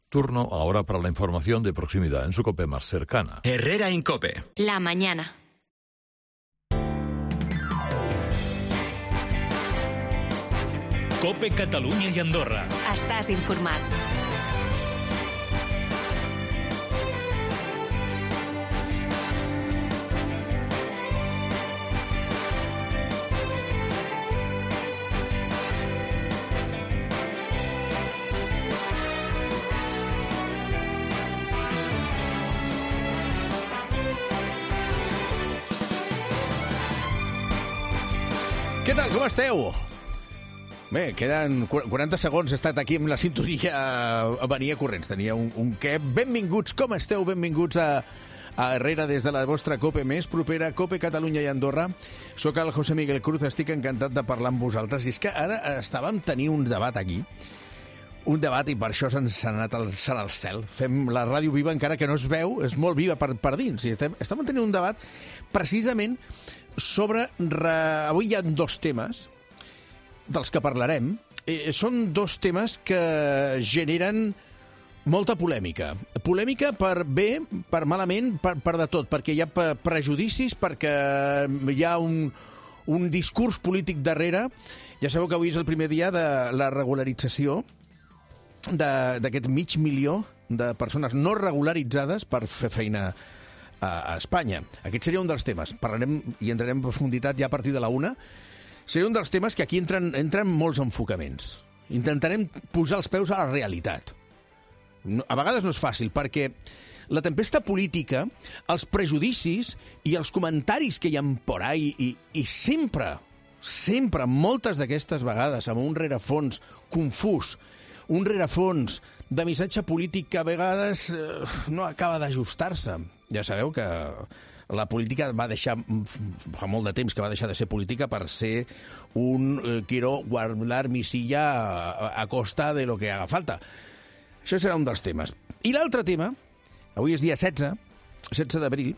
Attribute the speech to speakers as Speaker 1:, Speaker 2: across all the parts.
Speaker 1: Turno ahora para la información de proximidad en su COPE más cercana.
Speaker 2: Herrera Incope.
Speaker 3: La mañana.
Speaker 4: COPE Catalunya i Andorra.
Speaker 3: Estàs informat.
Speaker 5: Què tal, com esteu? Bé, queden 40 segons, he estat aquí amb la sintonia, venia corrents, tenia un què. Benvinguts, com esteu? Benvinguts a Herrera des de la vostra COPE més propera, COPE Catalunya i Andorra. Soc el José Miguel Cruz, estic encantat de parlar amb vosaltres. I és que ara estàvem tenint un debat aquí, un debat, i per això s'ha anat alçant al cel. Fem la ràdio viva encara que no es veu, és molt viva per dins. I estem tenint un debat precisament sobre... Avui hi ha dos temes dels que parlarem. Són dos temes que generen molta polèmica. Polèmica per bé, per malament, per de tot, perquè hi ha prejudicis, perquè hi ha un discurs polític darrere. Ja sabeu que avui és el primer dia de la regularització d'aquest 500.000 de persones no regularitzades per fer feina a Espanya. Aquest seria un dels temes. Parlarem i entrarem en profunditat ja a partir de la 1. Seria un dels temes que aquí entren molts enfocaments. Intentarem posar els peus a la realitat. A vegades no és fàcil, perquè la tempesta política, els prejudicis i els comentaris que hi ha por ahí, i sempre, moltes d'aquestes vegades, amb un rerefons confús, un rerefons de missatge polític que a vegades no acaba d'ajustar-se. Ja sabeu que la política va deixar, fa molt de temps que va deixar de ser política per ser un quiero guardar mi silla a costa de lo que haga falta. Això serà un dels temes. I l'altre tema, avui és dia 16 d'abril,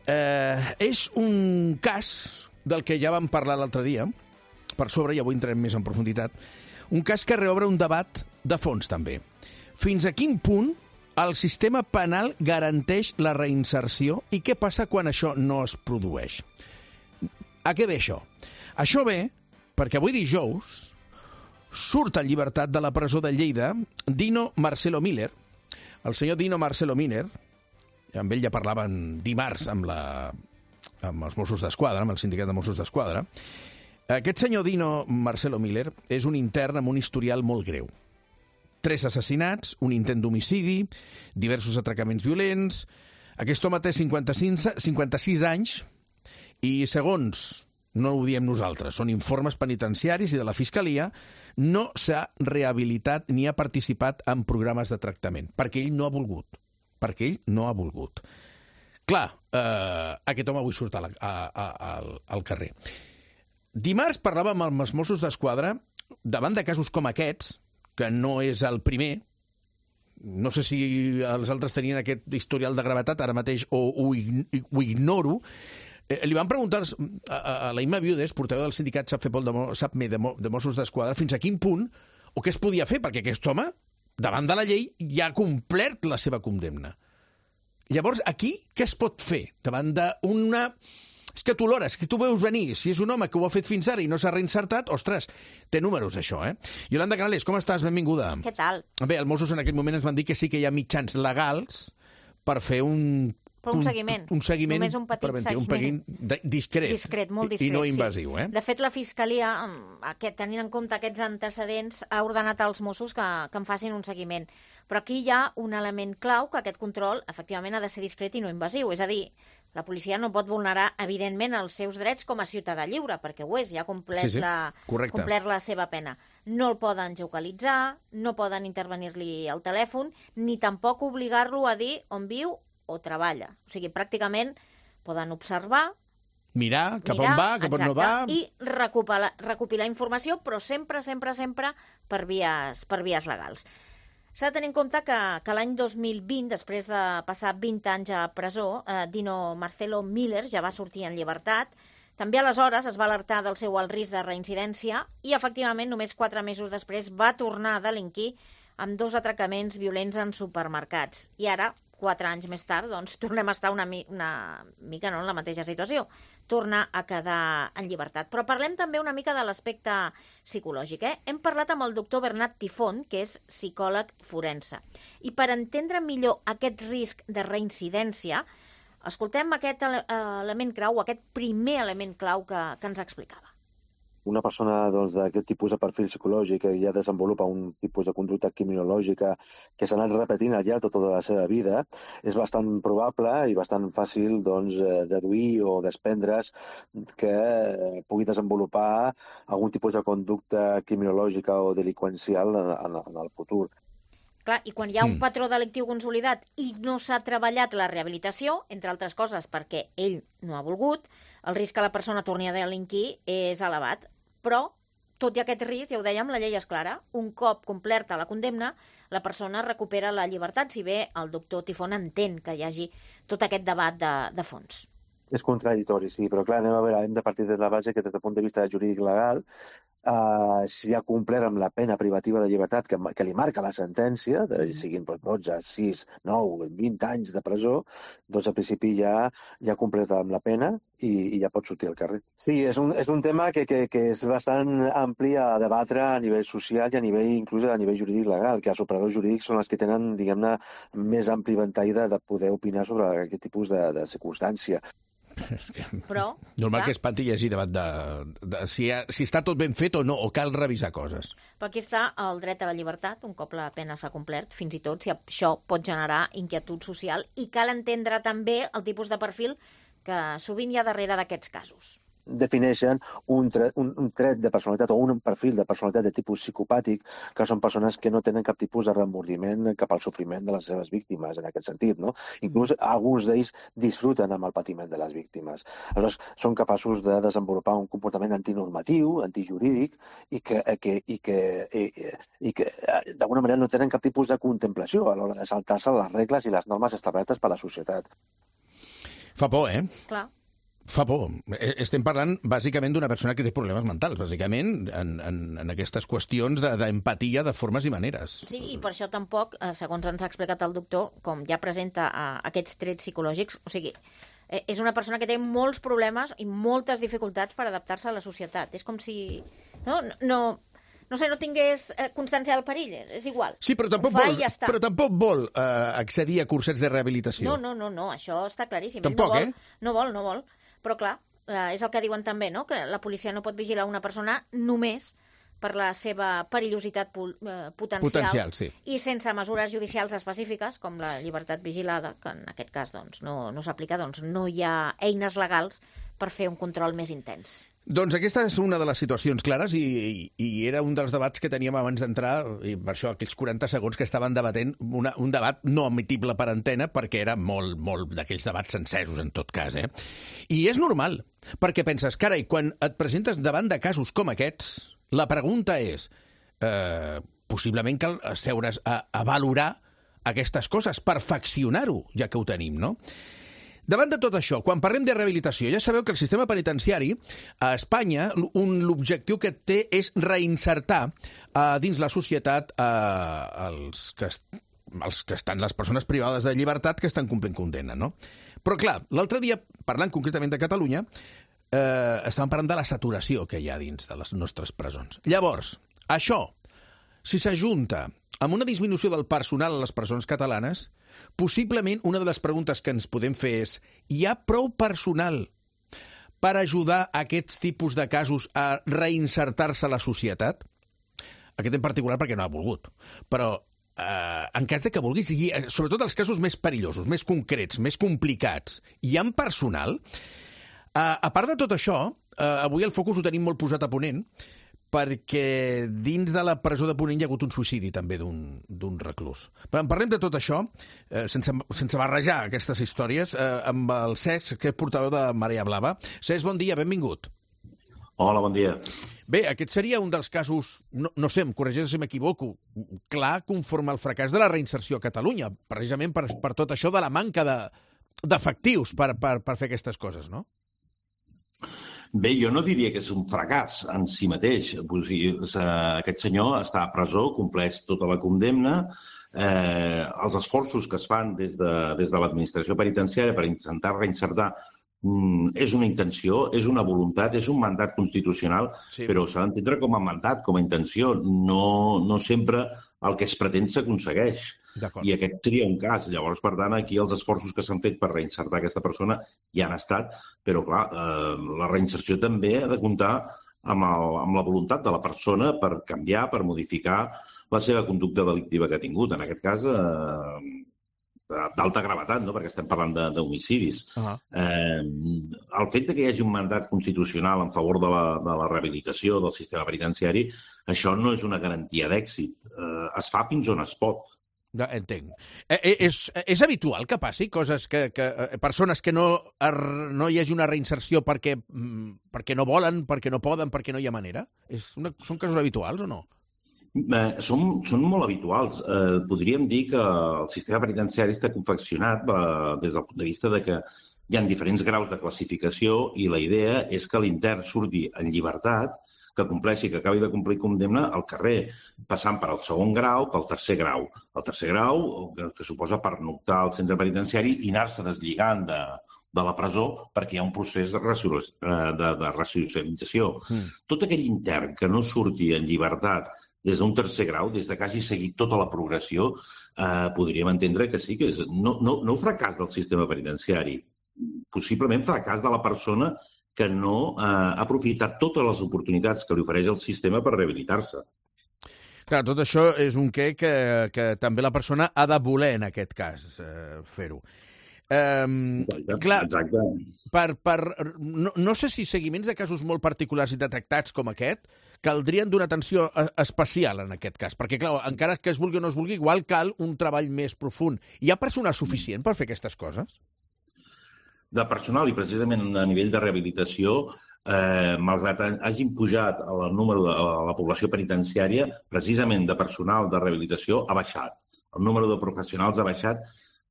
Speaker 5: és un cas del que ja vam parlar l'altre dia, per sobre, i avui entrem més en profunditat, un cas que reobre un debat de fons, també. Fins a quin punt el sistema penal garanteix la reinserció i què passa quan això no es produeix? A què ve això? Això ve perquè avui dijous surt en llibertat de la presó de Lleida Dino Marcelo Miller. El senyor Dino Marcelo Miller, amb ell ja parlaven dimarts amb els Mossos d'Esquadra, amb el sindicat de Mossos d'Esquadra. Aquest senyor Dino Marcelo Miller és un intern amb un historial molt greu. 3 assassinats, un intent d'homicidi, diversos atracaments violents. Aquest home té 56 anys i, segons, no ho diem nosaltres, són informes penitenciaris i de la Fiscalia, no s'ha rehabilitat ni ha participat en programes de tractament, perquè ell no ha volgut. Perquè ell no ha volgut. Clar, aquest home avui surt al carrer. Dimarts parlàvem amb els Mossos d'Esquadra davant de casos com aquests, que no és el primer. No sé si els altres tenien aquest historial de gravetat ara mateix o ho ignoro. Li van preguntar a la Imma Viudes, portaveu del sindicat SAPME de Mossos d'Esquadra, fins a quin punt o què es podia fer, perquè aquest home, davant de la llei, ja ha complert la seva condemna. Llavors, aquí, què es pot fer davant d'una... És que tu l'hores, que tu veus venir. Si és un home que ho ha fet fins ara i no s'ha reinsertat, ostres, té números, això, eh? Yolanda Canales, com estàs? Benvinguda.
Speaker 6: Què tal?
Speaker 5: Bé, els Mossos en aquell moment ens van dir que sí que hi ha mitjans legals per fer un
Speaker 6: seguiment.
Speaker 5: Un seguiment.
Speaker 6: Només un petit seguiment.
Speaker 5: Un seguiment discret.
Speaker 6: Discret, molt discret,
Speaker 5: I no invasiu,
Speaker 6: sí. De fet, la Fiscalia, tenint en compte aquests antecedents, ha ordenat als Mossos que en facin un seguiment. Però aquí hi ha un element clau, que aquest control, efectivament, ha de ser discret i no invasiu. És a dir, la policia no pot vulnerar, evidentment, els seus drets com a ciutadà lliure, perquè ho és, ja ha complert la seva pena. No el poden geocalitzar, no poden intervenir-li al telèfon, ni tampoc obligar-lo a dir on viu o treballa. O sigui, pràcticament poden observar,
Speaker 5: mirar cap on va, cap on no va...
Speaker 6: I recopilar informació, però sempre per vies legals. S'ha de tenir en compte que l'any 2020, després de passar 20 anys a presó, Dino Marcelo Miller ja va sortir en llibertat. També aleshores es va alertar del seu alt risc de reincidència i, efectivament, només 4 mesos després va tornar a delinquir amb 2 atracaments violents en supermercats. I ara, 4 anys més tard, doncs, tornem a estar una mica en la mateixa situació. Torna a quedar en llibertat. Però parlem també una mica de l'aspecte psicològic. Hem parlat amb el doctor Bernat Tifón, que és psicòleg forense. I per entendre millor aquest risc de reincidència, escoltem aquest element clau, aquest primer element clau que ens explicava.
Speaker 2: Una persona d'aquest tipus de perfil psicològic que ja desenvolupa un tipus de conducta criminològica que s'ha anat repetint al llarg de tota la seva vida, és bastant probable i bastant fàcil deduir o desprendre's que pugui desenvolupar algun tipus de conducta criminològica o delinqüencial en el futur.
Speaker 6: Clar, i quan hi ha un patró delictiu consolidat i no s'ha treballat la rehabilitació, entre altres coses perquè ell no ha volgut, el risc que la persona torni a delinquir és elevat. Però, tot i aquest risc, ja ho dèiem, la llei és clara. Un cop complerta la condemna, la persona recupera la llibertat, si bé el doctor Tifón entén que hi hagi tot aquest debat de fons.
Speaker 2: És contradictori, sí, però clar, hem de partir de la base que des del punt de vista jurídic legal, si ha complert amb la pena privativa de llibertat que li marca la sentència, siguin 12, 6, 9, 20 anys de presó, doncs al principi ja ha complert amb la pena i ja pot sortir al carrer. Sí, és un tema que és bastant ampli a debatre a nivell social i inclús a nivell jurídic legal, que els operadors jurídics són els que tenen, diguem-ne, més ampli ventall de poder opinar sobre aquest tipus de circumstància.
Speaker 6: Però,
Speaker 5: normal que espanti llegir debat de si està tot ben fet o no, o cal revisar coses.
Speaker 6: Però aquí està el dret a la llibertat, un cop la pena s'ha complert, fins i tot si això pot generar inquietud social, i cal entendre també el tipus de perfil que sovint hi ha darrere d'aquests casos.
Speaker 2: Defineixen un tret de personalitat o un perfil de personalitat de tipus psicopàtic, que són persones que no tenen cap tipus de remordiment cap al sofriment de les seves víctimes, en aquest sentit, no? Inclús alguns d'ells disfruten amb el patiment de les víctimes. Aleshores, són capaços de desenvolupar un comportament antinormatiu, antijurídic, i que d'alguna manera no tenen cap tipus de contemplació a l'hora de saltar-se les regles i les normes establertes per la societat.
Speaker 5: Fa por, eh?
Speaker 6: Clar.
Speaker 5: Fa por. Estem parlant bàsicament d'una persona que té problemes mentals, bàsicament en aquestes qüestions d'empatia de formes i maneres.
Speaker 6: Sí, i per això tampoc, segons ens ha explicat el doctor, com ja presenta aquests trets psicològics, o sigui, és una persona que té molts problemes i moltes dificultats per adaptar-se a la societat. És com si no tingués constància del perill, és igual.
Speaker 5: Sí, però tampoc vol accedir a cursets de rehabilitació.
Speaker 6: No, això està claríssim.
Speaker 5: Tampoc,
Speaker 6: No vol. Però clar, és el que diuen també, no? Que la policia no pot vigilar una persona només per la seva perillositat potencial,
Speaker 5: sí.
Speaker 6: I sense mesures judicials específiques, com la llibertat vigilada, que en aquest cas doncs, no s'aplica, doncs no hi ha eines legals per fer un control més intens.
Speaker 5: Doncs aquesta és una de les situacions clares i era un dels debats que teníem abans d'entrar, i per això aquells 40 segons que estaven debatent, un debat no admitible per antena, perquè era molt d'aquells debats encesos, en tot cas. I és normal, perquè penses, carai, quan et presentes davant de casos com aquests, la pregunta és, possiblement cal asseure's a valorar aquestes coses, perfeccionar-ho, ja que ho tenim, no? Davant de tot això, quan parlem de rehabilitació, ja sabeu que el sistema penitenciari a Espanya, l'objectiu que té és reinsertar dins la societat els que estan, les persones privades de llibertat que estan complint condemna, no? Però clar, l'altre dia, parlant concretament de Catalunya, estàvem parlant de la saturació que hi ha dins de les nostres presons. Llavors, això, si s'ajunta amb una disminució del personal a les presons catalanes, possiblement una de les preguntes que ens podem fer és: hi ha prou personal per ajudar aquests tipus de casos a reinsertar-se a la societat? Aquest en particular perquè no ha volgut. Però en cas de que vulguis, sobretot els casos més perillosos, més concrets, més complicats, hi ha personal? A part de tot això, avui el focus ho tenim molt posat a Ponent, perquè dins de la presó de Ponent hi ha hagut un suïcidi també d'un reclús. Però en parlem de tot això, sense barrejar aquestes històries, amb el Cesc, que és portaveu de Marea Blava. Cesc, bon dia, benvingut.
Speaker 4: Hola, bon dia.
Speaker 5: Bé, aquest seria un dels casos, no sé, em corregeix si m'equivoco, clar, conforme al fracàs de la reinserció a Catalunya, precisament per tot això de la manca d'efectius per fer aquestes coses, no?
Speaker 4: Bé, jo no diria que és un fracàs en si mateix. O sigui, aquest senyor està a presó, compleix tota la condemna. Els esforços que es fan des de l'administració penitenciària per intentar reinsertar és una intenció, és una voluntat, és un mandat constitucional, sí, però s'ha d'entendre com a mandat, com a intenció. No sempre el que es pretén s'aconsegueix. I aquest seria un cas. Llavors, per tant, aquí els esforços que s'han fet per reinsertar aquesta persona ja han estat, però, clar, la reinserció també ha de comptar amb la voluntat de la persona per canviar, per modificar la seva conducta delictiva que ha tingut. En aquest cas, d'alta gravetat, no? Perquè estem parlant d'homicidis. El fet que hi hagi un mandat constitucional en favor de la rehabilitació del sistema penitenciari, això no és una garantia d'èxit. Es fa fins on es pot.
Speaker 5: Entenc. És habitual que passi coses que persones que no hi hagi una reinserció perquè no volen, perquè no poden, perquè no hi ha manera? Són casos habituals o no?
Speaker 4: Són molt habituals. Podríem dir que el sistema penitenciari està confeccionat des del punt de vista de que hi ha diferents graus de classificació i la idea és que l'intern surti en llibertat, que compleixi, que acabi de complir condemna al carrer, passant per al segon grau, pel tercer grau. El tercer grau, que suposa pernoctar al centre penitenciari i anar-se deslligant de la presó perquè hi ha un procés de ressocialització. Tot aquell intern que no surti en llibertat des d'un tercer grau, des que hagi seguit tota la progressió, podríem entendre que sí que és no fracàs del sistema penitenciari, possiblement fracàs de la persona que no ha aprofitat totes les oportunitats que li ofereix el sistema per rehabilitar-se.
Speaker 5: Clar, tot això és un que també la persona ha de voler, en aquest cas, fer-ho.
Speaker 4: Exacte.
Speaker 5: No sé si seguiments de casos molt particulars i detectats com aquest caldrien d'una atenció especial en aquest cas, perquè, clar, encara que es vulgui o no es vulgui, igual cal un treball més profund. Hi ha personal suficient per fer aquestes coses?
Speaker 4: De personal i precisament a nivell de rehabilitació, malgrat hagin pujat el número de la població penitenciària, precisament de personal de rehabilitació ha baixat. El número de professionals ha baixat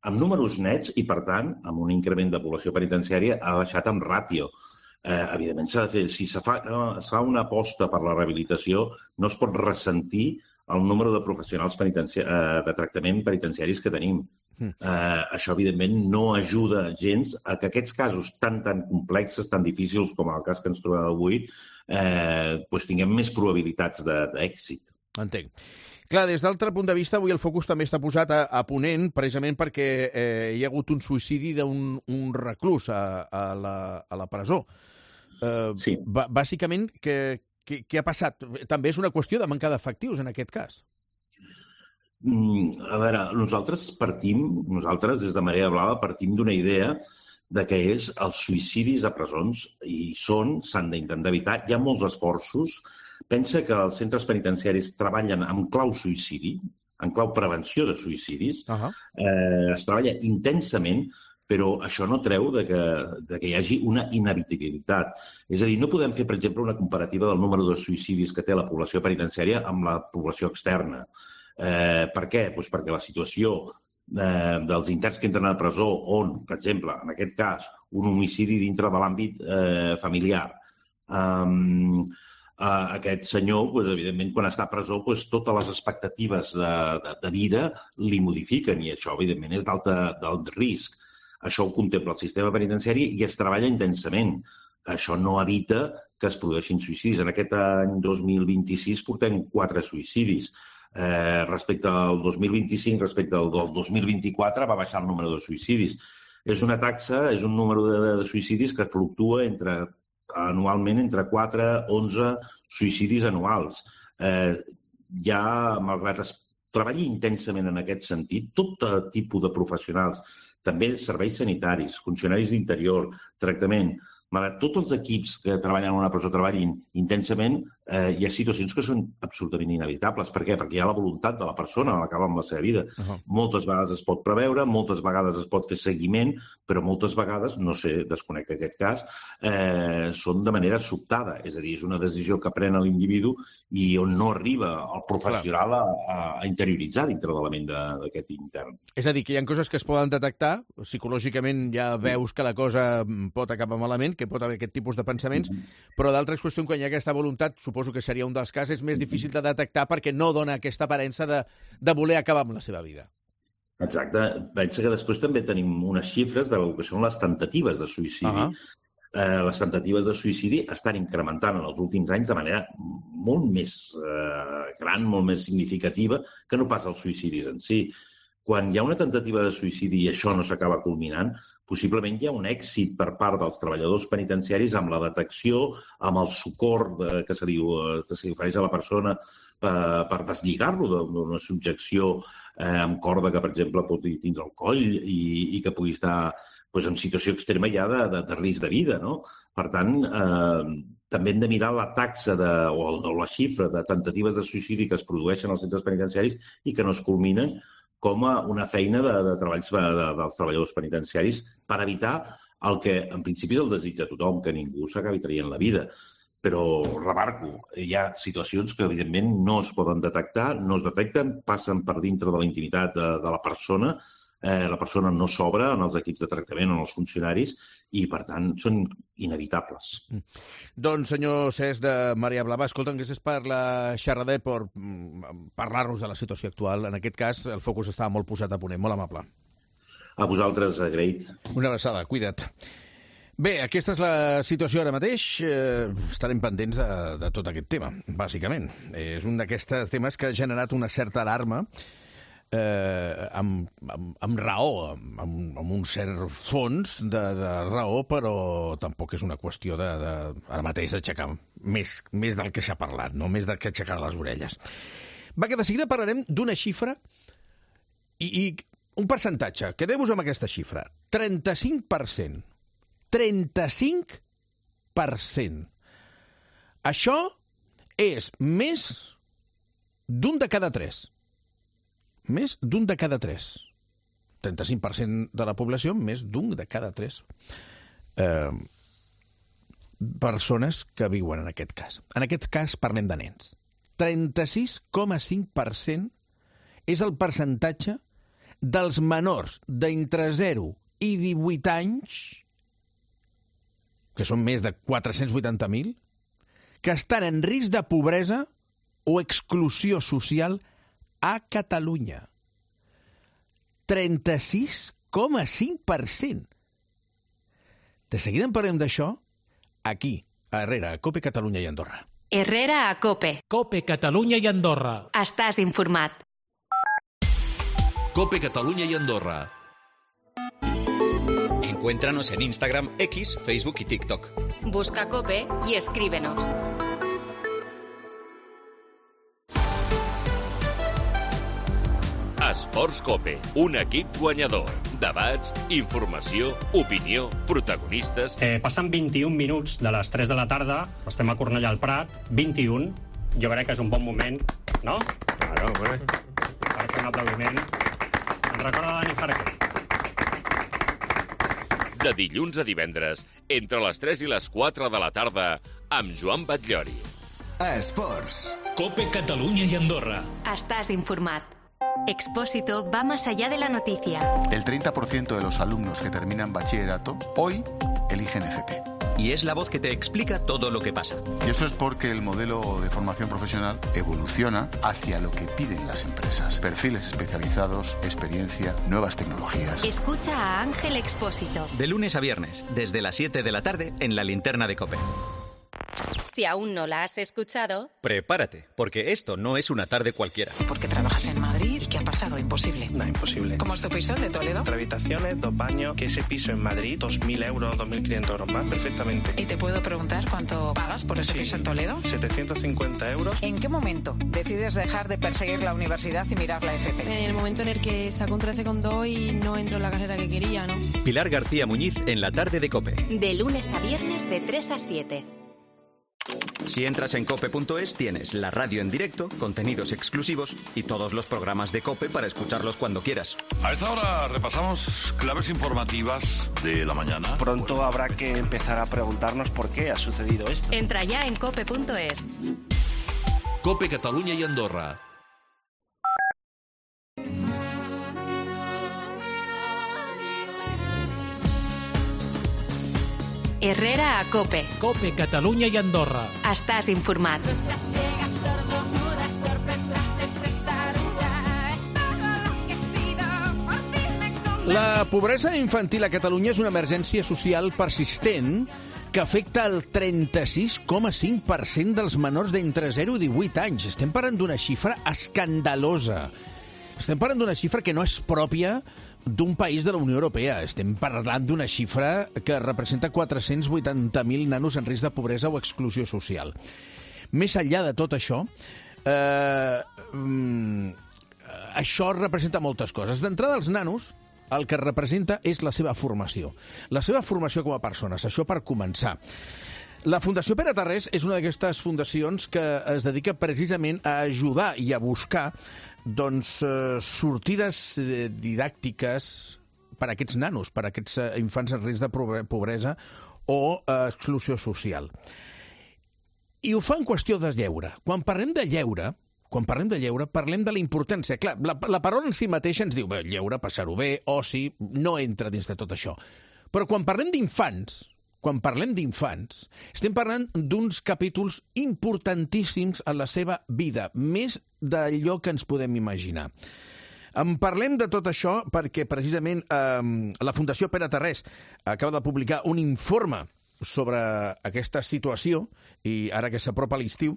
Speaker 4: amb números nets i, per tant, amb un increment de població penitenciària ha baixat amb ràtio. Evidentment, s'ha de fer. Si es fa una aposta per la rehabilitació, no es pot ressentir el número de professionals de tractament penitenciaris que tenim. Això, evidentment, no ajuda gens a que aquests casos tan complexos, tan difícils com el cas que ens trobem avui, tinguem més probabilitats d'èxit.
Speaker 5: Entenc. Clar, des d'altre punt de vista, avui el focus també està posat a Ponent, precisament perquè hi ha hagut un suïcidi d'un reclús a la presó.
Speaker 4: Sí.
Speaker 5: Bàsicament, què ha passat? També és una qüestió de manca d'efectius, en aquest cas.
Speaker 4: A veure, nosaltres des de Marea Blava partim d'una idea de que els suïcidis a presons s'han d'intentar evitar. Hi ha molts esforços. Pensa que els centres penitenciaris treballen amb clau suïcidi, en clau prevenció de suïcidis. Es treballa intensament, però això no treu que hi hagi una inevitabilitat. És a dir, no podem fer, per exemple, una comparativa del número de suïcidis que té la població penitenciària amb la població externa. Per què? Doncs perquè la situació dels interns que entren a la presó on, per exemple, en aquest cas, un homicidi dintre de l'àmbit familiar. Aquest senyor, evidentment, quan està a presó, totes les expectatives de vida li modifiquen i això, evidentment, és d'alt risc. Això ho contempla el sistema penitenciari i es treballa intensament. Això no evita que es produeixin suïcidis. En aquest any 2026 portem 4 suïcidis. Respecte al 2025, respecte al 2024, va baixar el número de suïcidis. És una taxa, és un número de suïcidis que fluctua anualment entre 4 i 11 suïcidis anuals. Malgrat es treballi intensament en aquest sentit, tot tipus de professionals, també serveis sanitaris, funcionaris d'interior, tractament, malgrat tots els equips que treballen en una presó treballin intensament, hi ha situacions que són absolutament inevitables. Per què? Perquè hi ha la voluntat de la persona a l'acabar amb la seva vida. Moltes vegades es pot preveure, moltes vegades es pot fer seguiment, però moltes vegades, no sé, desconec aquest cas, són de manera sobtada. És a dir, és una decisió que pren l'individu i on no arriba el professional a interioritzar dintre de la ment d'aquest intern.
Speaker 5: És a dir, que hi ha coses que es poden detectar, psicològicament ja veus que la cosa pot acabar malament, que pot haver aquest tipus de pensaments, però d'altres qüestions, quan hi ha aquesta voluntat, suposo que seria un dels casos, és més difícil de detectar perquè no dona aquesta aparença de voler acabar amb la seva vida.
Speaker 4: Exacte. Pensa que després també tenim unes xifres del que són les temptatives de suïcidi. Les temptatives de suïcidi estan incrementant en els últims anys de manera molt més gran, molt més significativa que no pas els suïcidis en si. Quan hi ha una temptativa de suïcidi i això no s'acaba culminant, possiblement hi ha un èxit per part dels treballadors penitenciaris amb la detecció, amb el socors que se li ofereix a la persona per deslligar-lo d'una subjecció amb corda que, per exemple, pot tindre el coll i que pugui estar en situació extrema ja de risc de vida, no? Per tant, també hem de mirar la taxa o la xifra de temptatives de suïcidi que es produeixen als centres penitenciaris i que no es culminen com a una feina de treballs dels treballadors penitenciaris per evitar el que en principi és el desig de tothom, que ningú s'acabi traient la vida. Però, remarco, hi ha situacions que evidentment no es poden detectar, no es detecten, passen per dintre de la intimitat de la persona no s'obre en els equips de tractament o en els funcionaris i, per tant, són inevitables.
Speaker 5: Doncs, senyor Cesc de Maria Blava, escolta'm, gràcies per la xerrada i per parlar-nos de la situació actual. En aquest cas, el focus estava molt posat a Ponent. Molt amable.
Speaker 4: A vosaltres, agraït.
Speaker 5: Una abraçada, cuida't. Bé, aquesta és la situació ara mateix. Estarem pendents de tot aquest tema, bàsicament. És un d'aquests temes que ha generat una certa alarma amb raó, amb un cert fons de raó, però tampoc és una qüestió ara mateix d'aixecar més del que s'ha parlat, no? Més del que aixecar les orelles. Va, que de seguida parlarem d'una xifra i un percentatge. Quedeu-vos amb aquesta xifra. 35%. 35%. Això és més d'un de cada tres. Més d'un de cada tres. 35% de la població, més d'un de cada tres persones que viuen en aquest cas. En aquest cas parlem de nens. 36,5% és el percentatge dels menors d'entre 0 i 18 anys, que són més de 480.000, que estan en risc de pobresa o exclusió social a Catalunya. 36,5%. De seguida en parlem d'això aquí, a Herrera, a COPE Catalunya i Andorra.
Speaker 3: Herrera a COPE.
Speaker 7: COPE Catalunya i Andorra.
Speaker 3: Estàs informat.
Speaker 8: COPE Catalunya y Andorra. Encuéntranos en Instagram, X, Facebook y TikTok.
Speaker 3: Busca COPE y escríbenos.
Speaker 9: Esports COPE, un equip guanyador. Debats, informació, opinió, protagonistes...
Speaker 10: Passen 21 minuts de les 3 de la tarda, estem a Cornellà al Prat, 21. Jo crec que és un bon moment, no?
Speaker 11: Claro, bueno.
Speaker 10: Per fer un aplaudiment. Ens recorda Dani Farquer.
Speaker 9: De dilluns a divendres, entre les 3 i les 4 de la tarda, amb Joan Batllori.
Speaker 12: Esports.
Speaker 7: COPE Catalunya y Andorra.
Speaker 3: Estás informat. Expósito va más allá de la noticia.
Speaker 13: El 30% de los alumnos que terminan bachillerato hoy eligen FP.
Speaker 8: Y es la voz que te explica todo lo que pasa.
Speaker 13: Y eso es porque el modelo de formación profesional evoluciona hacia lo que piden las empresas. Perfiles especializados, experiencia, nuevas tecnologías.
Speaker 3: Escucha a Ángel Expósito.
Speaker 8: De lunes a viernes, desde las 7 de la tarde, en la linterna de COPE.
Speaker 3: Si aún no la has escuchado...
Speaker 8: Prepárate, porque esto no es una tarde cualquiera.
Speaker 14: ¿Por qué trabajas en Madrid? ¿Y qué ha pasado? Imposible.
Speaker 15: No, imposible.
Speaker 14: ¿Cómo es tu piso de Toledo?
Speaker 15: 3 habitaciones, 2 baños, que ese piso en Madrid, 2.000 euros, 2.500 euros más, perfectamente.
Speaker 14: ¿Y te puedo preguntar cuánto pagas por ese piso en Toledo?
Speaker 15: 750 euros.
Speaker 14: ¿En qué momento decides dejar de perseguir la universidad y mirar la FP?
Speaker 16: En el momento en el que saco un 13,2 y no entro en la carrera que quería, ¿no?
Speaker 8: Pilar García Muñiz en la tarde de COPE.
Speaker 3: De lunes a viernes de 3 a 7.
Speaker 8: Si entras en cope.es tienes la radio en directo, contenidos exclusivos y todos los programas de COPE para escucharlos cuando quieras.
Speaker 1: A esta hora repasamos claves informativas de la mañana.
Speaker 15: Pronto habrá que empezar a preguntarnos por qué ha sucedido esto.
Speaker 3: Entra ya en cope.es.
Speaker 8: COPE Catalunya y Andorra.
Speaker 3: Herrera a COPE.
Speaker 7: COPE Catalunya i Andorra.
Speaker 3: Estàs informat.
Speaker 5: La pobresa infantil a Catalunya és una emergència social persistent que afecta el 36,5% dels menors d'entre 0 i 18 anys. Estem parlant d'una xifra escandalosa. Estem parlant d'una xifra que no és pròpia d'un país de la Unió Europea. Estem parlant d'una xifra que representa 480.000 nanos en risc de pobresa o exclusió social. Més enllà de tot això, això representa moltes coses. D'entrada, els nanos, el que representa és la seva formació. La seva formació com a persones, això per començar. La Fundació Pere Tarrés és una d'aquestes fundacions que es dedica precisament a ajudar i a buscar sortides didàctiques per a aquests nanos, per a aquests infants en risc de pobresa o exclusió social. I ho fa en qüestió de lleure. Quan parlem de lleure, parlem de la importància. Clar, la paraula en si mateixa ens diu lleure, passar-ho bé, oci, no entra dins de tot això. Però quan parlem d'infants, estem parlant d'uns capítols importantíssims en la seva vida, més d'allò que ens podem imaginar. En parlem de tot això perquè precisament la Fundació Pere Tarrés acaba de publicar un informe sobre aquesta situació, i ara que s'apropa l'estiu,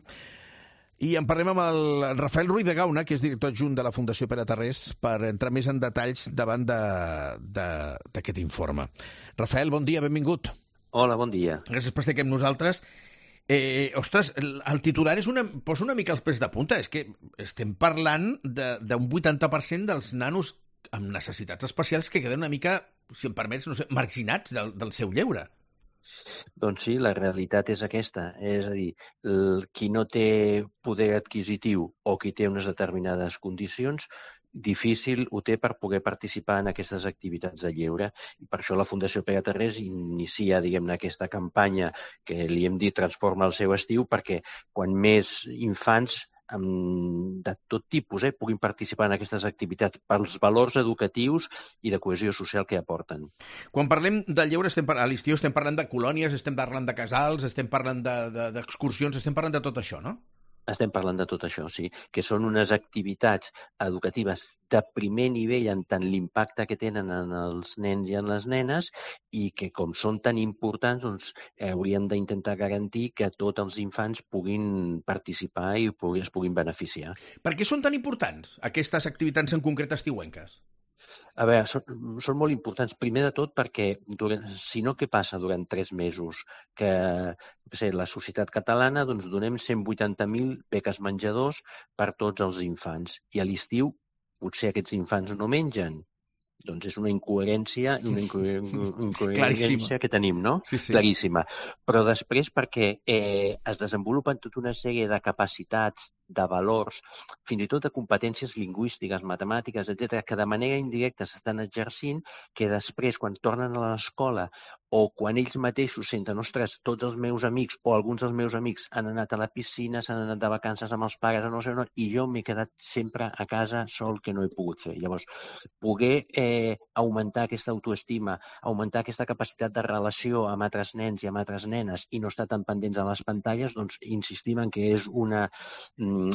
Speaker 5: i en parlem amb el Rafael Ruiz de Gauna, que és director adjunt de la Fundació Pere Tarrés, per entrar més en detalls davant d'aquest informe. Rafael, bon dia, benvingut.
Speaker 11: Hola, bon dia.
Speaker 5: Gràcies per estar aquí amb nosaltres. Ostres, el titular posa una mica els pèls de punta. És que estem parlant d'un 80% dels nanos amb necessitats especials que queden una mica, si em permets, no sé, marginats del seu lleure.
Speaker 11: Doncs sí, la realitat és aquesta. És a dir, qui no té poder adquisitiu o qui té unes determinades condicions, difícil ho té per poder participar en aquestes activitats de lleure. I per això la Fundació Pere Tarrés inicia, diguem-ne, aquesta campanya que li hem dit Transforma el seu estiu, perquè quan més infants de tot tipus puguin participar en aquestes activitats pels valors educatius i de cohesió social que aporten.
Speaker 5: Quan parlem de lleure a l'estiu estem parlant de colònies, estem parlant de casals, estem parlant d'excursions, estem parlant de tot això, no?
Speaker 11: Estem parlant de tot això, sí, que són unes activitats educatives de primer nivell en tant l'impacte que tenen en els nens i en les nenes i que, com són tan importants, doncs hauríem d'intentar garantir que tots els infants puguin participar i es puguin beneficiar.
Speaker 5: Per què són tan importants aquestes activitats en concret estiuenques?
Speaker 11: A veure, són molt importants. Primer de tot perquè, si no, què passa durant 3 mesos? Que la societat catalana donem 180.000 beques menjadors per tots els infants. I a l'estiu potser aquests infants no mengen. Doncs és una incoherència que tenim, no?
Speaker 5: Sí, sí.
Speaker 11: Claríssima. Però després perquè es desenvolupen tota una sèrie de capacitats, de valors, fins i tot de competències lingüístiques, matemàtiques, etc., que de manera indirecta s'estan exercint, que després, quan tornen a l'escola o quan ells mateixos senten, ostres, tots els meus amics o alguns dels meus amics han anat a la piscina, s'han anat de vacances amb els pares, no sé, i jo m'he quedat sempre a casa sol, que no he pogut fer. Llavors, poder augmentar aquesta autoestima, augmentar aquesta capacitat de relació amb altres nens i amb altres nenes i no estar tan pendents a les pantalles, doncs insistim en que és una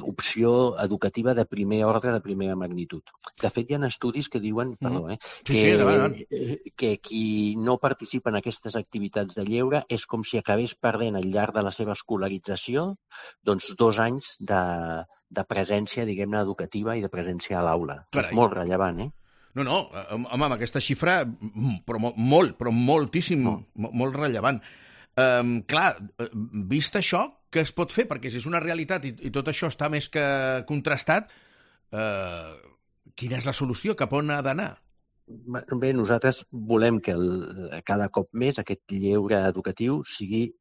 Speaker 11: opció educativa de primer ordre, de primera magnitud. De fet, hi ha estudis que diuen, que qui no participa en aquestes activitats de lleure és com si acabés perdent al llarg de la seva escolarització 2 anys de presència, diguem-ne, educativa i de presència a l'aula. És molt rellevant,
Speaker 5: No, home, amb aquesta xifra, però moltíssim, molt rellevant. Clar, vist això, què es pot fer? Perquè si és una realitat i tot això està més que contrastat, quina és la solució? Cap on ha d'anar?
Speaker 11: Bé, nosaltres volem que cada cop més aquest lleure educatiu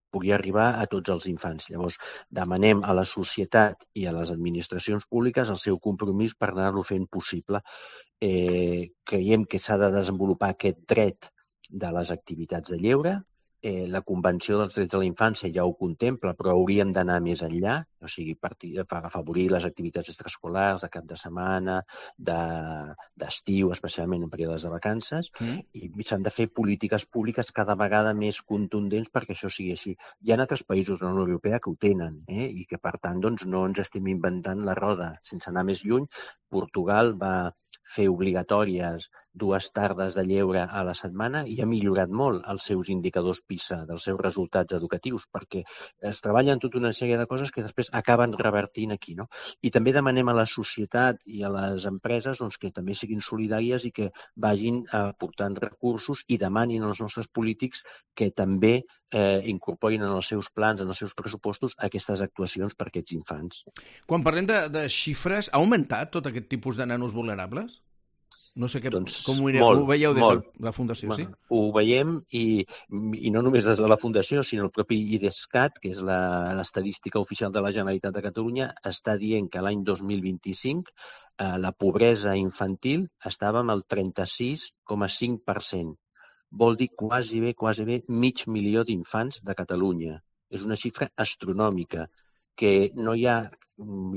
Speaker 11: pugui arribar a tots els infants. Llavors, demanem a la societat i a les administracions públiques el seu compromís per anar-lo fent possible. Creiem que s'ha de desenvolupar aquest dret de les activitats de lleure, la Convenció dels Drets de la Infància ja ho contempla, però hauríem d'anar més enllà, o sigui, per afavorir les activitats extraescolars de cap de setmana, d'estiu, especialment en períodes de vacances, i s'han de fer polítiques públiques cada vegada més contundents perquè això sigui així. Hi ha altres països de la Unió Europea que ho tenen, i que, per tant, doncs, no ens estem inventant la roda. Sense anar més lluny, Portugal va fer obligatòries 2 tardes de lleure a la setmana i ha millorat molt els seus indicadors PISA, dels seus resultats educatius, perquè es treballen tota una sèrie de coses que després acaben revertint aquí, no? I també demanem a la societat i a les empreses doncs, que també siguin solidàries i que vagin aportant recursos i demanin als nostres polítics que també incorporin en els seus plans, en els seus pressupostos, aquestes actuacions per a aquests infants.
Speaker 5: Quan parlem de xifres, ha augmentat tot aquest tipus de nanos vulnerables? No sé com ho veieu des de la Fundació, sí?
Speaker 11: Ho veiem i no només des de la Fundació, sinó el propi IDESCAT, que és l'estadística oficial de la Generalitat de Catalunya, està dient que l'any 2025 la pobresa infantil estava amb el 36,5%. Vol dir quasi bé 500.000 d'infants de Catalunya. És una xifra astronòmica, que no hi ha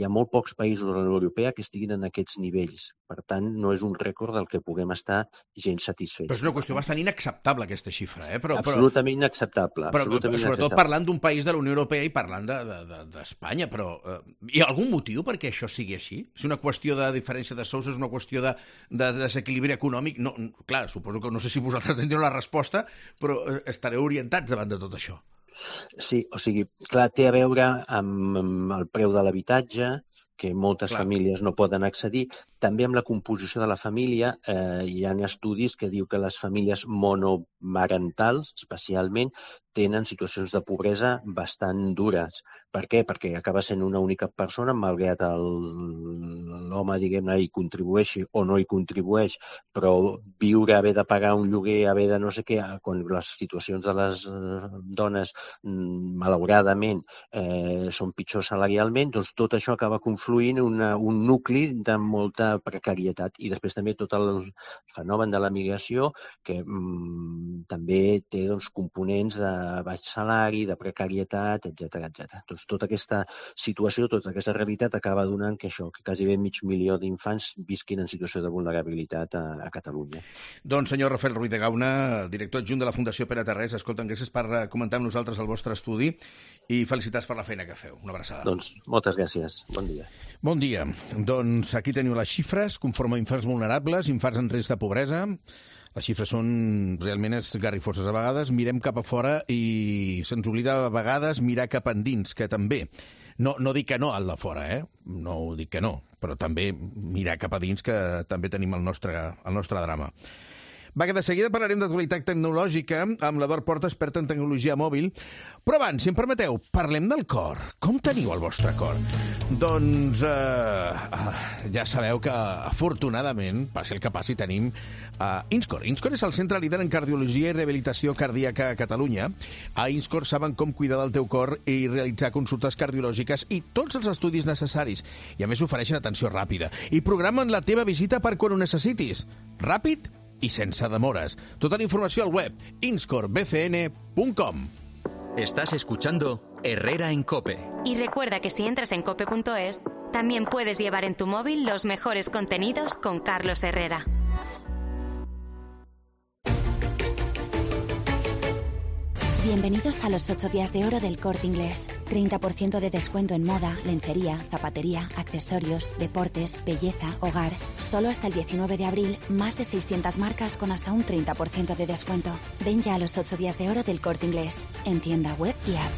Speaker 11: molt pocs països de la Unió Europea que estiguin en aquests nivells. Per tant, no és un rècord del que puguem estar gens satisfets.
Speaker 5: Però és una qüestió bastant inacceptable, aquesta xifra.
Speaker 11: Absolutament inacceptable.
Speaker 5: Sobretot parlant d'un país de la Unió Europea i parlant d'Espanya. Però hi ha algun motiu perquè això sigui així? És una qüestió de diferència de sous, és una qüestió de desequilibri econòmic? Clar, suposo que no sé si vosaltres teniu la resposta, però estareu orientats davant de tot això.
Speaker 11: Sí, o sigui, clar, té a veure amb el preu de l'habitatge, que moltes famílies no poden accedir. També amb la composició de la família hi ha estudis que diu que les famílies monomarentals, especialment, tenen situacions de pobresa bastant dures. Per què? Perquè acaba sent una única persona, malgrat l'home, diguem-ne, hi contribueixi o no hi contribueix, però viure, haver de pagar un lloguer, haver de no sé què, quan les situacions de les dones, malauradament, són pitjors salarialment, doncs tot això acaba confluint en un nucli de molta precarietat. I després també tot el fenomen de la migració, que també té components de baix salari, de precarietat, etc. Doncs tota aquesta situació, tota aquesta realitat acaba donant que quasi 500.000 d'infants visquin en situació de vulnerabilitat a Catalunya.
Speaker 5: Doncs, senyor Rafael Ruiz de Gauna, director adjunt de la Fundació Pere Tarrés, escolta'm, gràcies per comentar amb nosaltres el vostre estudi i felicitats per la feina que feu. Una abraçada.
Speaker 11: Doncs moltes gràcies. Bon dia.
Speaker 5: Bon dia. Doncs aquí teniu les xifres, conforme a infants vulnerables, infants en risc de pobresa. Les xifres són realment esgarrifoses. A vegades mirem cap a fora i se'ns oblida a vegades mirar cap endins, que també. No dic que no al de fora, no ho dic que no, però també mirar cap a dins, que també tenim el nostre drama. Va, que de seguida parlarem d'actualitat tecnològica amb l'Eduard Porta, expert en tecnologia mòbil. Però abans, si em permeteu, parlem del cor. Com teniu el vostre cor? Doncs ja sabeu que, afortunadament, passi el que passi, tenim Inscor. Inscor és el centre líder en cardiologia i rehabilitació cardíaca a Catalunya. A Inscor saben com cuidar del teu cor i realitzar consultes cardiològiques i tots els estudis necessaris. I a més ofereixen atenció ràpida. I programen la teva visita per quan ho necessitis. Ràpid y sense demores. Toda la información al web inscorbcn.com.
Speaker 8: Estás escuchando Herrera en COPE.
Speaker 3: Y recuerda que si entras en cope.es, también puedes llevar en tu móvil los mejores contenidos con Carlos Herrera.
Speaker 17: Bienvenidos a los 8 días de oro del Corte Inglés. 30% de descuento en moda, lencería, zapatería, accesorios, deportes, belleza, hogar. Solo hasta el 19 de abril, más de 600 marcas con hasta un 30% de descuento. Ven ya a los 8 días de oro del Corte Inglés. En tienda web y app.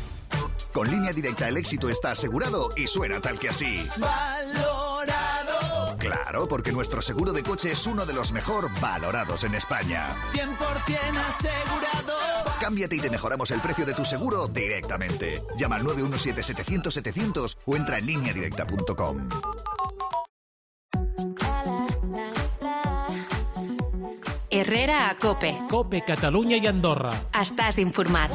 Speaker 12: Con Línea Directa el éxito está asegurado y suena tal que así. ¡Valorado! Claro, porque nuestro seguro de coche es uno de los mejor valorados en España.
Speaker 18: 100% asegurado.
Speaker 12: Cámbiate y te mejoramos el precio de tu seguro directamente. Llama al 917-700-700 o entra en lineadirecta.com.
Speaker 3: Herrera a COPE.
Speaker 7: COPE, Catalunya i Andorra.
Speaker 3: Estàs informat.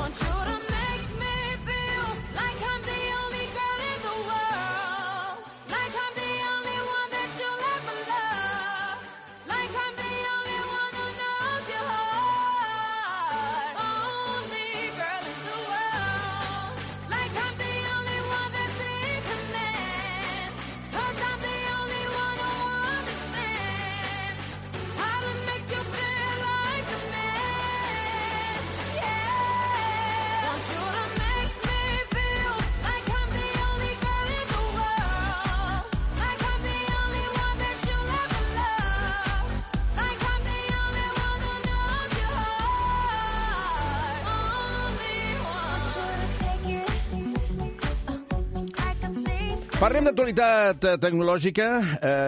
Speaker 5: Parlem d'actualitat tecnològica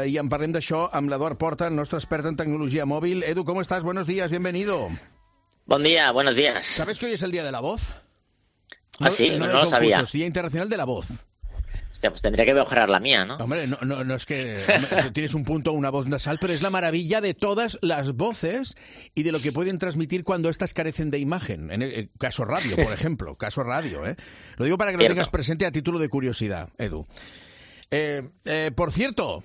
Speaker 5: i en parlem d'això amb l'Eduard Porta, el nostre expert en tecnologia mòbil. Edu, ¿cómo estás? Buenos días, bienvenido.
Speaker 19: Buen día, buenos días.
Speaker 5: ¿Sabes que hoy es el Día de la Voz?
Speaker 19: Ah, sí, no lo sabía.
Speaker 5: Es Día Internacional de la Voz.
Speaker 19: Hostia, pues tendría que mejorar la mía, ¿no?
Speaker 5: Hombre, no es que tienes un punto, una voz nasal, pero es la maravilla de todas las voces y de lo que pueden transmitir cuando estas carecen de imagen. En el caso radio, por ejemplo. Caso radio, ¿eh? Lo digo para que lo tengas presente a título de curiosidad, Edu. Por cierto,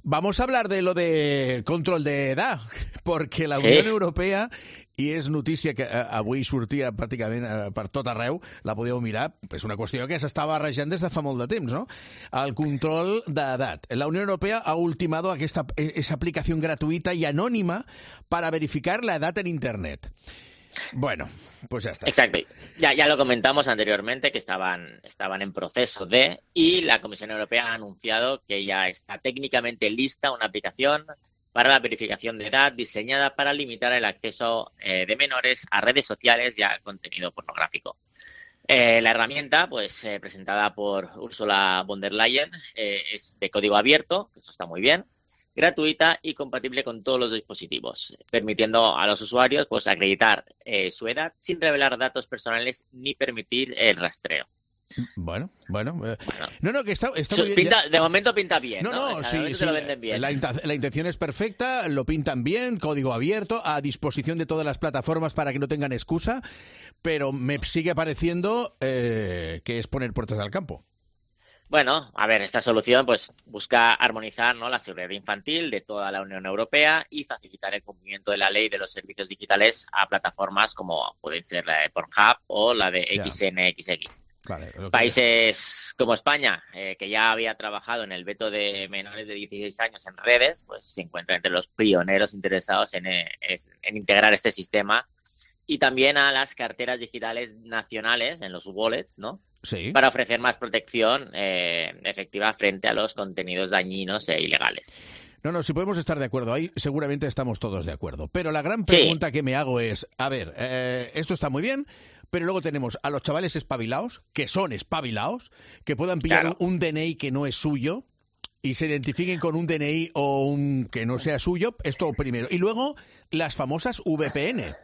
Speaker 5: vamos a hablar de lo de control de edad, porque la Unió Europea, i és notícia que avui sortia pràcticament per tot arreu, la podeu mirar, és una qüestió que s'està barrejant des de fa molt de temps, ¿no? El control d'edat. La Unió Europea ha ultimado esa aplicación gratuita y anónima para verificar la edad en Internet. Bueno, pues ya está.
Speaker 19: Exacto. Ya lo comentamos anteriormente, que estaban en proceso y la Comisión Europea ha anunciado que ya está técnicamente lista una aplicación para la verificación de edad diseñada para limitar el acceso de menores a redes sociales y a contenido pornográfico. La herramienta, pues presentada por Ursula von der Leyen, es de código abierto, que eso está muy bien, gratuita y compatible con todos los dispositivos, permitiendo a los usuarios pues acreditar su edad sin revelar datos personales ni permitir el rastreo.
Speaker 5: Bueno. No, que está muy bien.
Speaker 19: De momento pinta bien, ¿no?
Speaker 5: Sí,
Speaker 19: lo venden bien.
Speaker 5: La intención es perfecta, lo pintan bien, código abierto, a disposición de todas las plataformas para que no tengan excusa, pero me sigue pareciendo que es poner puertas al campo.
Speaker 19: Bueno, a ver, esta solución pues busca armonizar, ¿no?, la seguridad infantil de toda la Unión Europea y facilitar el cumplimiento de la ley de los servicios digitales a plataformas como pueden ser la de Pornhub o la de XNXX.
Speaker 5: Vale,
Speaker 19: Países como España, que ya había trabajado en el veto de menores de 16 años en redes, pues se encuentra entre los pioneros interesados en integrar este sistema, y también a las carteras digitales nacionales en los wallets, ¿no?
Speaker 5: Sí.
Speaker 19: Para ofrecer más protección efectiva frente a los contenidos dañinos e ilegales.
Speaker 5: No, si podemos estar de acuerdo ahí, seguramente estamos todos de acuerdo. Pero la gran pregunta que me hago es, a ver, esto está muy bien, pero luego tenemos a los chavales espabilados, que son espabilados, que puedan pillar un DNI que no es suyo y se identifiquen con un DNI o un que no sea suyo, esto primero. Y luego las famosas VPN,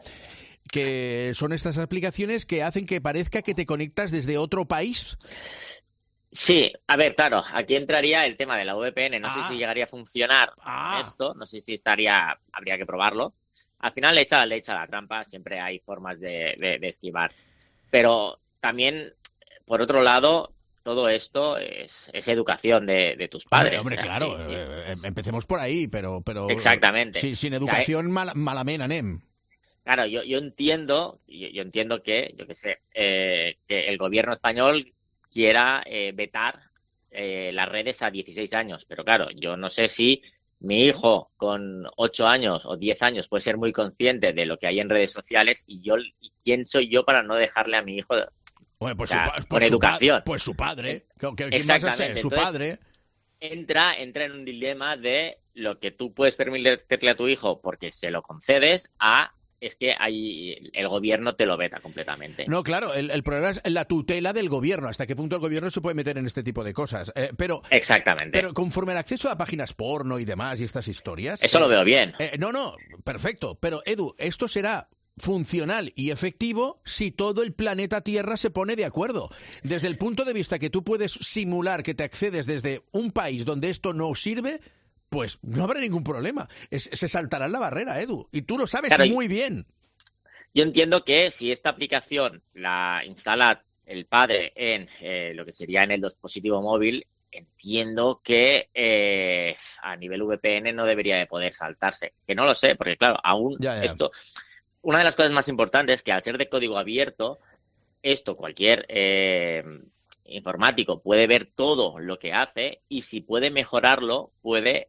Speaker 5: que son estas aplicaciones que hacen que parezca que te conectas desde otro país.
Speaker 19: Sí, a ver, claro, aquí entraría el tema de la VPN. No sé si llegaría a funcionar esto, no sé si habría que probarlo. Al final le echa la trampa, siempre hay formas de esquivar. Pero también, por otro lado, todo esto es educación de tus padres.
Speaker 5: Hombre, claro, empecemos por ahí, pero
Speaker 19: exactamente.
Speaker 5: Sin educación, malament anem.
Speaker 19: Claro, yo entiendo que, yo qué sé, que el gobierno español quiera vetar las redes a 16 años, pero claro, yo no sé si mi hijo con 8 años o 10 años puede ser muy consciente de lo que hay en redes sociales y quién soy yo para no dejarle a mi hijo por educación.
Speaker 5: Pues su padre.
Speaker 19: Exactamente.
Speaker 5: Vas a ser? Su padre.
Speaker 19: Entra en un dilema de lo que tú puedes permitirle a tu hijo porque se lo concedes es que ahí el gobierno te lo veta completamente.
Speaker 5: No, claro, el problema es la tutela del gobierno, hasta qué punto el gobierno se puede meter en este tipo de cosas.
Speaker 19: Exactamente.
Speaker 5: Pero conforme al acceso a páginas porno y demás y estas historias...
Speaker 19: Eso lo veo bien.
Speaker 5: No, perfecto. Pero, Edu, esto será funcional y efectivo si todo el planeta Tierra se pone de acuerdo. Desde el punto de vista que tú puedes simular que te accedes desde un país donde esto no sirve... Pues no habrá ningún problema. Se saltará la barrera, Edu. Y tú lo sabes muy bien.
Speaker 19: Yo entiendo que si esta aplicación la instala el padre en lo que sería en el dispositivo móvil, entiendo que a nivel VPN no debería de poder saltarse. Que no lo sé, porque claro, aún esto... Una de las cosas más importantes es que al ser de código abierto, cualquier informático puede ver todo lo que hace y si puede mejorarlo, puede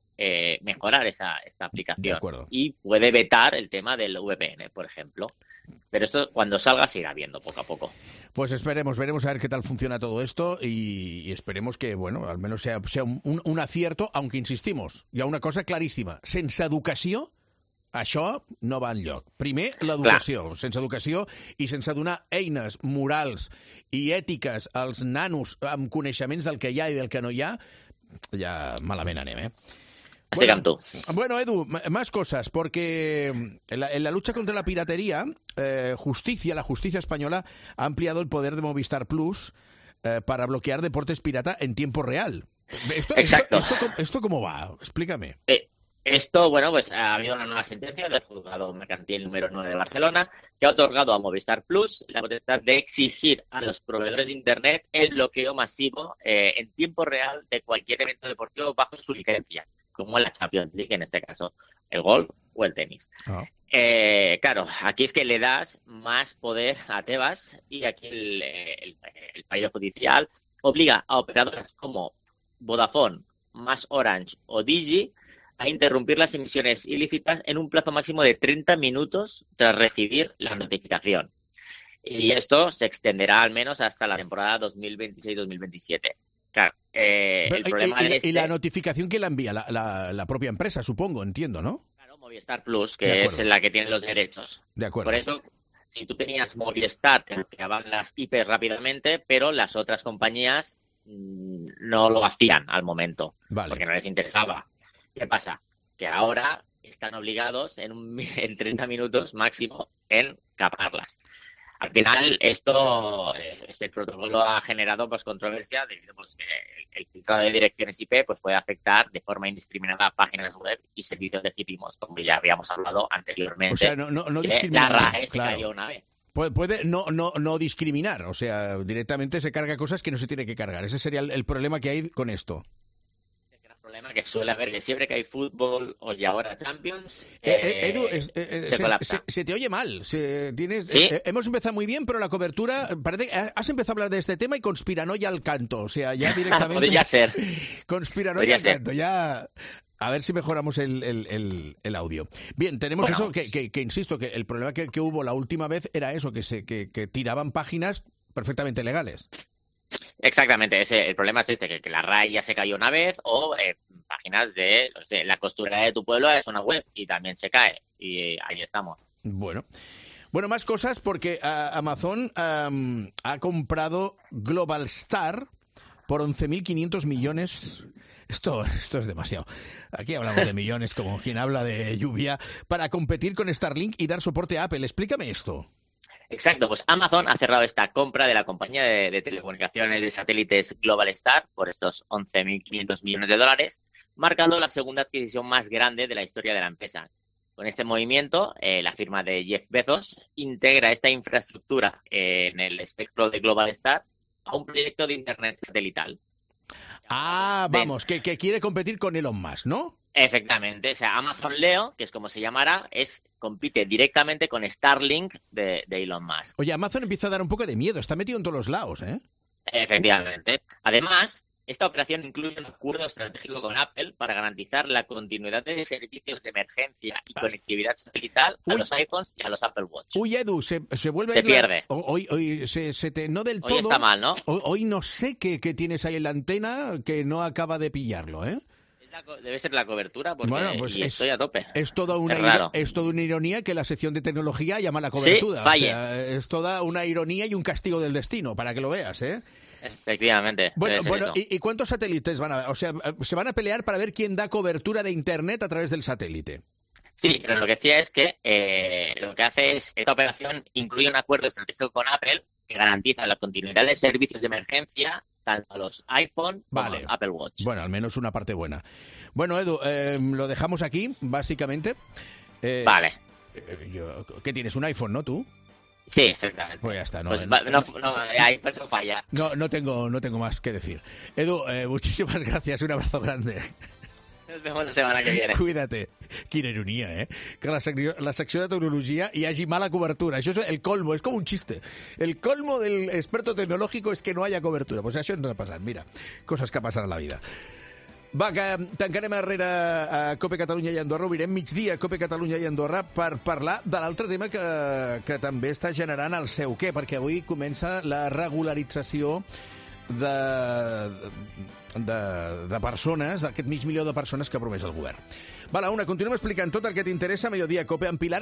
Speaker 19: mejorar esta aplicación y puede vetar el tema del VPN, por ejemplo. Pero esto cuando salga se irá viendo poco a poco.
Speaker 5: Pues veremos a ver qué tal funciona todo esto y esperemos que, bueno, al menos sea un acierto, aunque insistimos, hi ha una cosa claríssima, sense educació això no va enlloc. Primer, l'educació. Sense educació i sense donar eines morals i ètiques als nanos amb coneixements del que hi ha i del que no hi ha, ja malament anem,
Speaker 19: Estoy con tú.
Speaker 5: Bueno, Edu, más cosas, porque en la lucha contra la piratería, la justicia española ha ampliado el poder de Movistar Plus para bloquear deportes pirata en tiempo real.
Speaker 19: Exacto.
Speaker 5: ¿Esto cómo va? Explícame.
Speaker 19: Esto, bueno, pues ha habido una nueva sentencia del juzgado mercantil número 9 de Barcelona que ha otorgado a Movistar Plus la potestad de exigir a los proveedores de Internet el bloqueo masivo en tiempo real de cualquier evento deportivo bajo su licencia, como la Champions League, en este caso, el golf o el tenis. Claro, aquí es que le das más poder a Tebas y aquí el fallo judicial obliga a operadoras como Vodafone, Más Orange o Digi a interrumpir las emisiones ilícitas en un plazo máximo de 30 minutos tras recibir la notificación. Y esto se extenderá al menos hasta la temporada 2026-2027. Claro, el problema
Speaker 5: y la notificación que la envía la propia empresa, supongo, entiendo, ¿no?
Speaker 19: Claro, Movistar Plus, que es la que tiene los derechos.
Speaker 5: De acuerdo.
Speaker 19: Por eso, si tú tenías Movistar, te bloqueaban las IP rápidamente, pero las otras compañías no lo hacían al momento, porque no les interesaba. ¿Qué pasa? Que ahora están obligados en 30 minutos máximo en caparlas. Al final, este protocolo ha generado controversia debido a que el filtrado de direcciones IP puede afectar de forma indiscriminada a páginas web y servicios legítimos, como ya habíamos hablado anteriormente.
Speaker 5: O sea, no discriminar.
Speaker 19: La RAE se cayó una vez.
Speaker 5: Puede no discriminar, o sea, directamente se carga cosas que no se tiene que cargar. Ese sería el problema que hay con esto.
Speaker 19: Problema que suele haber que siempre que hay fútbol o y ahora Champions
Speaker 5: Edu,
Speaker 19: se colapsa.
Speaker 5: Se te oye mal.
Speaker 19: ¿Sí?
Speaker 5: Hemos empezado muy bien, pero la cobertura parece has empezado a hablar de este tema y conspiranoia al canto, o sea, ya directamente
Speaker 19: podría ser
Speaker 5: conspiranoia al canto, ya. A ver si mejoramos el audio. Bien, tenemos eso que insisto, que el problema que hubo la última vez era eso, que tiraban páginas perfectamente legales.
Speaker 19: Exactamente, el problema es que la RAI ya se cayó una vez o páginas de la costurera de tu pueblo es una web y también se cae y ahí estamos.
Speaker 5: Bueno, más cosas porque Amazon ha comprado Global Star por 11.500 millones. Esto es demasiado. Aquí hablamos de millones como quien habla de lluvia para competir con Starlink y dar soporte a Apple. Explícame esto.
Speaker 19: Exacto, pues Amazon ha cerrado esta compra de la compañía de telecomunicaciones de satélites Global Star por estos 11.500 millones de dólares, marcando la segunda adquisición más grande de la historia de la empresa. Con este movimiento, la firma de Jeff Bezos integra esta infraestructura en el espectro de Global Star a un proyecto de Internet satelital.
Speaker 5: Vamos, que quiere competir con Elon Musk, ¿no?
Speaker 19: Efectivamente, o sea, Amazon Leo, que es como se llamará, compite directamente con Starlink de Elon Musk.
Speaker 5: Oye, Amazon empieza a dar un poco de miedo, está metido en todos los lados, ¿eh?
Speaker 19: Efectivamente. Además, esta operación incluye un acuerdo estratégico con Apple para garantizar la continuidad de servicios de emergencia y conectividad satelital a los iPhones y a los Apple Watch.
Speaker 5: Uy, Edu, se vuelve...
Speaker 19: Se pierde.
Speaker 5: Hoy no del todo...
Speaker 19: Hoy está mal, ¿no?
Speaker 5: Hoy no sé qué tienes ahí en la antena que no acaba de pillarlo, ¿eh?
Speaker 19: Debe ser la cobertura, porque estoy a tope.
Speaker 5: Es toda una ironía que la sección de tecnología llama la cobertura.
Speaker 19: Sí, falle.
Speaker 5: O sea, es toda una ironía y un castigo del destino, para que lo veas, ¿eh?
Speaker 19: Efectivamente.
Speaker 5: Bueno, ¿y cuántos satélites van a haber? O sea, se van a pelear para ver quién da cobertura de Internet a través del satélite.
Speaker 19: Sí, pero lo que decía es que lo que hace es, esta operación incluye un acuerdo estratégico con Apple que garantiza la continuidad de servicios de emergencia tanto a los iPhone como a los Apple Watch.
Speaker 5: Bueno, al menos una parte buena. Bueno, Edu, lo dejamos aquí, básicamente.
Speaker 19: Vale.
Speaker 5: ¿Qué tienes? ¿Un iPhone, no, tú?
Speaker 19: Sí, exactamente.
Speaker 5: Pues ya está.
Speaker 19: Ahí eso falla.
Speaker 5: No tengo más que decir. Edu, muchísimas gracias. Un abrazo grande.
Speaker 19: Nos vemos la semana que viene.
Speaker 5: Cuídate. Quina ironia, eh? Que la secció de tecnologia hi hagi mala cobertura. Això és el colmo, és com un xiste. El colmo del experto tecnológico es que no haya cobertura. Pues això ens ha passat, mira. Coses que passen a la vida. Va, que tancarem darrere a Cope Catalunya i Andorra, obrirem migdia a Cope Catalunya i Andorra per parlar de l'altre tema que també està generant el seu què, perquè avui comença la regularització de persones, d'aquest mig milió de persones que ha promès el govern. Va, la una, continuem explicant tot el que t'interessa a Mediodía Cope amb Pilar